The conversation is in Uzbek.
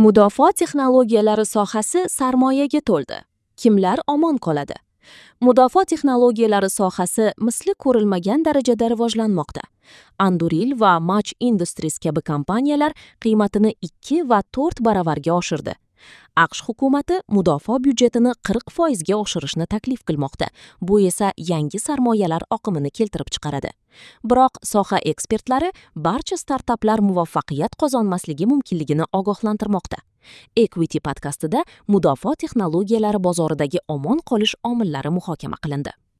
Mudofaa texnologiyalari sohasi sarmoyaga to'ldi. Kimlar omon qoladi? Mudofaa texnologiyalari sohasi misli ko'rilmagan darajada rivojlanmoqda. Anduril va Mach Industries kabi kompaniyalar qiymatini 2 va 4 baravarga oshirdi. AQSh hukumati mudofaa byudjetini 40% ga oshirishni taklif qilmoqda. Bu esa yangi sarmoyalar oqimini keltirib chiqaradi. Biroq soha ekspertlari barcha startaplar muvaffaqiyat qozonmasligi mumkinligini ogohlantirmoqda. Equity podkastida mudofaa texnologiyalari bozoridagi omon qolish omillari muhokama qilindi.